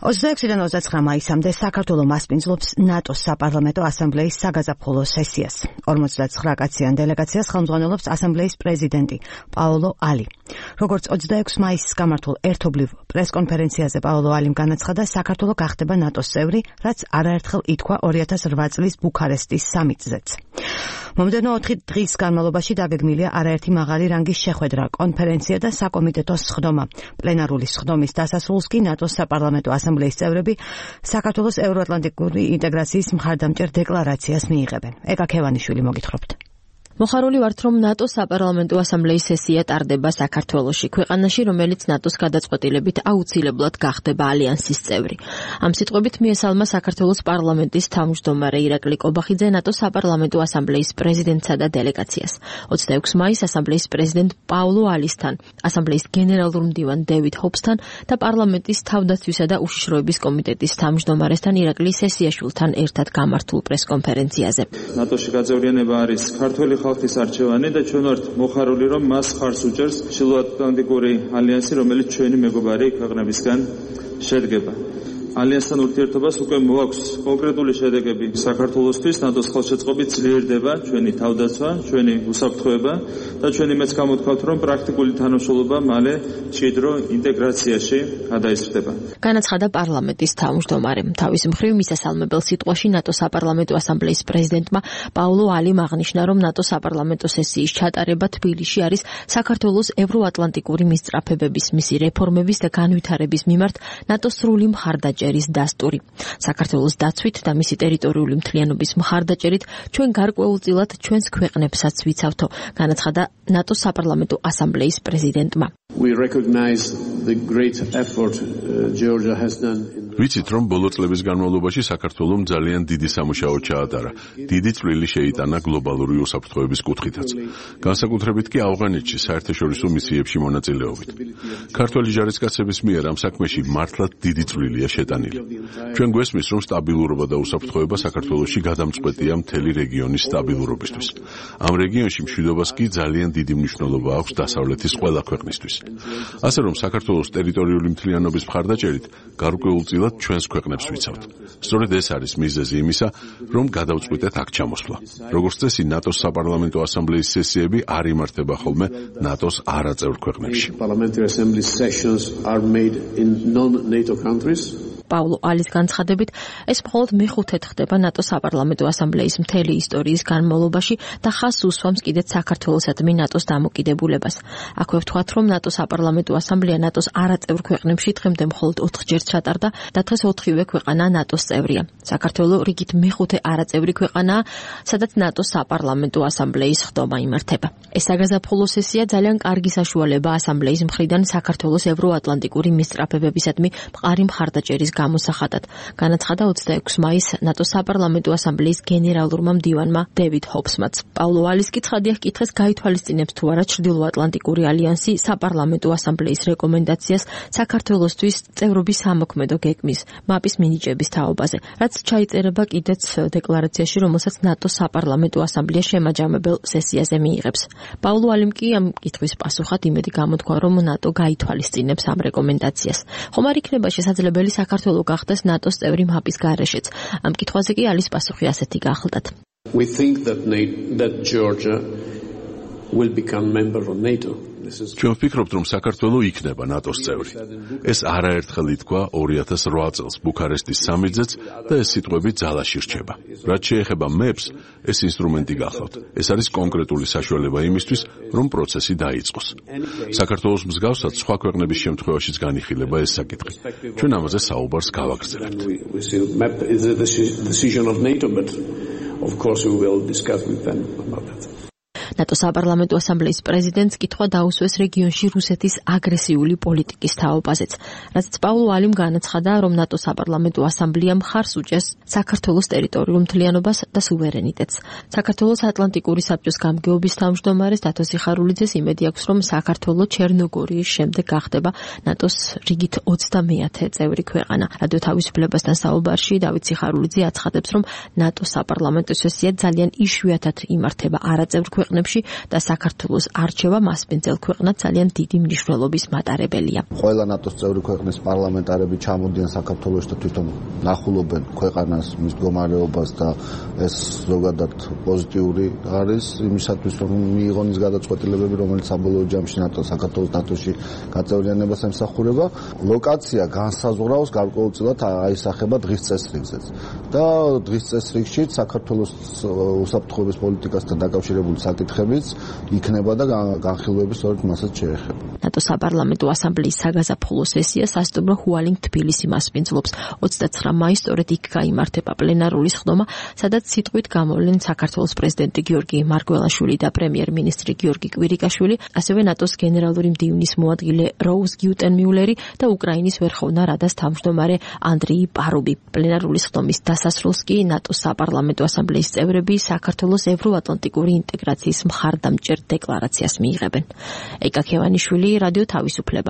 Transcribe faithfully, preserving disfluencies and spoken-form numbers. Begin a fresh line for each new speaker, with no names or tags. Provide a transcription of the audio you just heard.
ოცდაექვსიდან ოცდაცხრა მაისამდე საქართველო მასპინძლობს ნატოს საპარლამენტო ასამბლეის საგაზაფხულო სესიას. ორმოცდაცხრა კაციან დელეგაციას ხელმძღვანელობს ასამბლეის პრეზიდენტი პაოლო ალი. როგორც ოცდაექვსი მაისს გამართულ ერთობლივ პრესკონფერენციაზე პაოლო ალიმ განაცხადა, საქართველო გახდება ნატოს წევრი, რაც არაერთხელ ითქვა ორი ათას რვა წლის ბუქარესტის სამიტზეც. მომდევნო ოთხი დღის განმავლობაში დაგეგმილია არაერთი მაღალი რანგის შეხვედრა, კონფერენცია და საკომიტეტო სხდომა. პლენარული სხდომის დასასრულს კი ნატოს საპარლამენტო ასამბლეის წევრები საქართველოს ევროატლანტიკური ინტეგრაციის მხარდამჭერ დეკლარაციას მიიღებენ. ეკა ქევანიშვილი მოგითხრობთ.
მოხარული ვართ, რომ ნატოს საპარლამენტო ასამბლეის სესია ტარდება საქართველოში, ქვეყანაში, რომელიც ნატოს გადაწყვეტილებით აუცილებლად გახდება ალიანსის წევრი. ამ სიტყვებით მიესალმა საქართველოს პარლამენტის თავმჯდომარე ირაკლი კობახიძე ნატოს საპარლამენტო ასამბლეის პრეზიდენტსა და დელეგაციას. ოცდაექვსი მაისს ასამბლეის პრეზიდენტ პაოლო ალისთან, ასამბლეის გენერალურ მდივან დევიდ ჰობსთან და პარლამენტის თავდაცვისა და უშიშროების კომიტეტის თავმჯდომარესთან ირაკლი სესიაშვილთან ერთად გამართულ პრესკონფერენციაზე.
ნატოში გაძევრიანება არის ქართველი ხალხის არჩევანი და ჩვენ ვართ მოხარული, რომ მას ხარს უჭერს ჩრდილოატლანტიკური ალიანსი, რომელიც ჩვენი მეგობარი ქვეყნებისგან შედგება. ალიანსთან ურთიერთობას უკვე მოაქვს კონკრეტული შედეგები საქართველოსთვის, ნატოს ხელშეწყობით ძლიერდება ჩვენი თავდაცვა, ჩვენი უსაფრთხოება და ჩვენი მეც გამოთქვათ, რომ პრაქტიკული თანამშრომლობა მალე მჭიდრო ინტეგრაციაში გადაიზრდება.
განაცხადა პარლამენტის თავმჯდომარემ. თავის მხრივ მისასალმებელ სიტყვაში ნატოს საპარლამენტო ასამბლეის პრეზიდენტმა პაოლო ალიმ აღნიშნა, რომ ნატოს საპარლამენტო სესიის ჩატარება თბილისში არის საქართველოს ევროატლანტიკური მისწრაფებების, მისი რეფორმების და განვითარების მიმართ ნატოს სრული მხარდაჭერა რის დასტური. საქართველოს დაცვით და მისი ტერიტორიული მთლიანობის მხარდაჭერით ჩვენ გარკვეულწილად ჩვენს ქვეყნებსაც ვიცავთო, განაცხადა ნატოს საპარლამენტო ასამბლეის პრეზიდენტმა.
ვიცით, რომ ბოლო წლების განმავლობაში საქართველომ ძალიან დიდი სამუშაო ჩაატარა. დიდი წვლილი შეიტანა გლობალური უსაფრთხოების კუთხითაც. განსაკუთრებით კი ავღანეთში საერთაშორისო მისიებში მონაწილეობით. ქართველი ჯარისკაცების მიერ ამ საქმეში მართლაც დიდი წვლილია შეტანილი. ჩვენ გვესმის, რომ სტაბილურობა და უსაფრთხოება საქართველოში გადამწყვეტია მთელი რეგიონის სტაბილურობისთვის. ამ რეგიონში მშვიდობას კი ძალიან დიდი მნიშვნელობა აქვს დასავლეთის ყველა ქვეყნისთვის. ასე რომ საქართველოს ტერიტორიული მთლიანობის მხარდაჭერით გარკვეულწილად ჩვენს ქვეყნებს ვიცავთ. სწორედ ეს არის მიზეზი იმისა, რომ გადავწყვიტეთ აქ ჩამოსვლა. როგორც წესი, ნატოს საპარლამენტო ასამბლეის სესიები არ იმართება ხოლმე ნატოს არაწევრ ქვეყნებში.
პაოლო ალის განცხადებით, ეს მხოლოდ მეხუთედ ხდება ნატოს საპარლამენტო ასამბლეის მთელი ისტორიის განმავლობაში და ხაზს უსვამს კიდეც საქართველოსადმი ნატოს დამოკიდებულებას. აქვე ვთქვათ, რომ ნატოს საპარლამენტო ასამბლეა ნატოს არაწევრ ქვეყნებში დღემდე მხოლოდ ოთხჯერ ჩატარდა და დღეს ოთხივე ქვეყანა ნატოს წევრია. საქართველო რიგით მეხუთე არაწევრი ქვეყანაა, სადაც ნატოს საპარლამენტო ასამბლეის სხდომა იმართება. ეს საგაზაფხულო სესია ძალიან კარგი საშუალება ასამბლეის მხრიდან საქართველოს ევროატლანტიკური მისწრაფებებისადმი მყარი მხარდაჭერის გამოსახატად, განაცხადა ოცდაექვსი მაისს ნატოს საპარლამენტო ასამბლეის გენერალურმა მდივანმა დევიდ ჰობსმაც. პაოლო ალის კითხადია ჰკითხეს გაითვალისწინებს თუ არა ჩრდილოატლანტიკური ალიანსი საპარლამენტო ასამბლეის რეკომენდაციას საქართველოსთვის წევრობის ამოქმედო გეგმის მაპის მინიჭების თაობაზე, რაც ჩაიწერება კიდეც დეკლარაციაში, რომელსაც ნატოს საპარლამენტო ასამბლეა შემაჯამებელ სესიაზე მიიღებს. პაოლო ალიმ კი ამ კითხვის პასუხად იმედი გამოთქვა, რომ ნატო გაითვალისწინებს ამ რეკომენდაციას. ხომ არ იქნება შესაძლებელი საქართველოს გახდეს ნატოს წევრი მაპის გარეშეც. ამ კითხვაზე კი ალის პასუხი ასეთი გახლდათ.
We think that, that Georgia will become member of NATO.
ჩვენ ვფიქრობთ, რომ საქართველო იქნება ნატოს წევრი. ეს არაერთხელ ითქვა ორი ათას რვა წელს ბუქარესტის სამიტზეც და ეს სიტყვები ძალაში რჩება. რაც შეეხება მეპს, ეს ინსტრუმენტი გახლავთ. ეს არის კონკრეტული საშუალება იმისთვის, რომ პროცესი დაიწყოს. საქართველოს მსგავსად სხვა ქვეყნების შემთხვევაშიც განიხილება ეს საკითხი. ჩვენ ამაზე საუბარს გავაგრძელებთ.
ნატოს საპარლამენტო ასამბლეის პრეზიდენტს კითხვა დაუსვეს რეგიონში რუსეთის აგრესიული პოლიტიკის თაობაზეც, რაც პაოლო ალიმ განაცხადა, რომ ნატოს საპარლამენტო ასამბლეამ ხარს უჭერს საქართველოს ტერიტორიულ მთლიანობას და სუვერენიტეტს. საქართველოს ატლანტიკური საბჭოს გამგეობის თავმჯდომარეს დათო სიხარულიძეს იმედი აქვს, რომ საქართველო ჩერნოგორიის შემდეგ გახდება ნატოს რიგით ოცდამეათე წევრი ქვეყანა. რადიო თავისუფლებასთან საუბარში დავით სიხარულიძე აცხადებს, რომ ნატოს საპარლამენტო სესია ძალიან იშვიათად იმართება არაწევრ ქვეყნებში საქმეებში და საქართველოს არჩევა მასპინძელ ქვეყნად ძალიან დიდი მნიშვნელობის მატარებელია.
ყველა ნატოს წევრი ქვეყნის პარლამენტარები ჩამოდიან საქართველოში და თვითონ ნახულობენ ქვეყანას, მის მდგომარეობას და ეს ზოგადად პოზიტიური არის იმისათვის, რომ მიიღონ ის გადაწყვეტილებები, რომელიც საბოლოო ჯამში ნატო საქართველოს ნატოში გაწევრიანებას ემსახურება. ლოკაცია განსაზღვრავს გარკვეულწილად აისახება დღის წესრიგზეც და დღის წესრიგში საქართველოს უსაფრთხოების პოლიტიკასთან დაკავშირებული საკითხებიც იქნება და განხილვების სწორედ მასაც შეეხება.
ნატო საპარლამენტო ასამბლეის საგაზაფხულო სესია სასტუმრო ჰუალინგ თბილისი მასპინძლობს. ოცდაცხრა მაისს სწორედ იქ გაიმართება პლენარული სხდომა, სადაც სიტყვით გამოვლენ საქართველოს პრეზიდენტი გიორგი მარგველაშვილი და პრემიერ-მინისტრი გიორგი კვირიკაშვილი, ასევე ნატოს გენერალური მდივნის მოადგილე როუზ გიუტენმიულერი და უკრაინის ვერხოვნა რადას თავმჯდომარე ანდრეი პარუბი. პლენარული სხდომის დასასრულს კი ნატოს საპარლამენტო ასამბლეის წევრები საქართველოს ევროატლანტიკური ინტეგრაციის მხარდამჭერ დეკლარაციას მიიღებენ. ეკა ქევანიშვილი, რადიო თავისუფლება.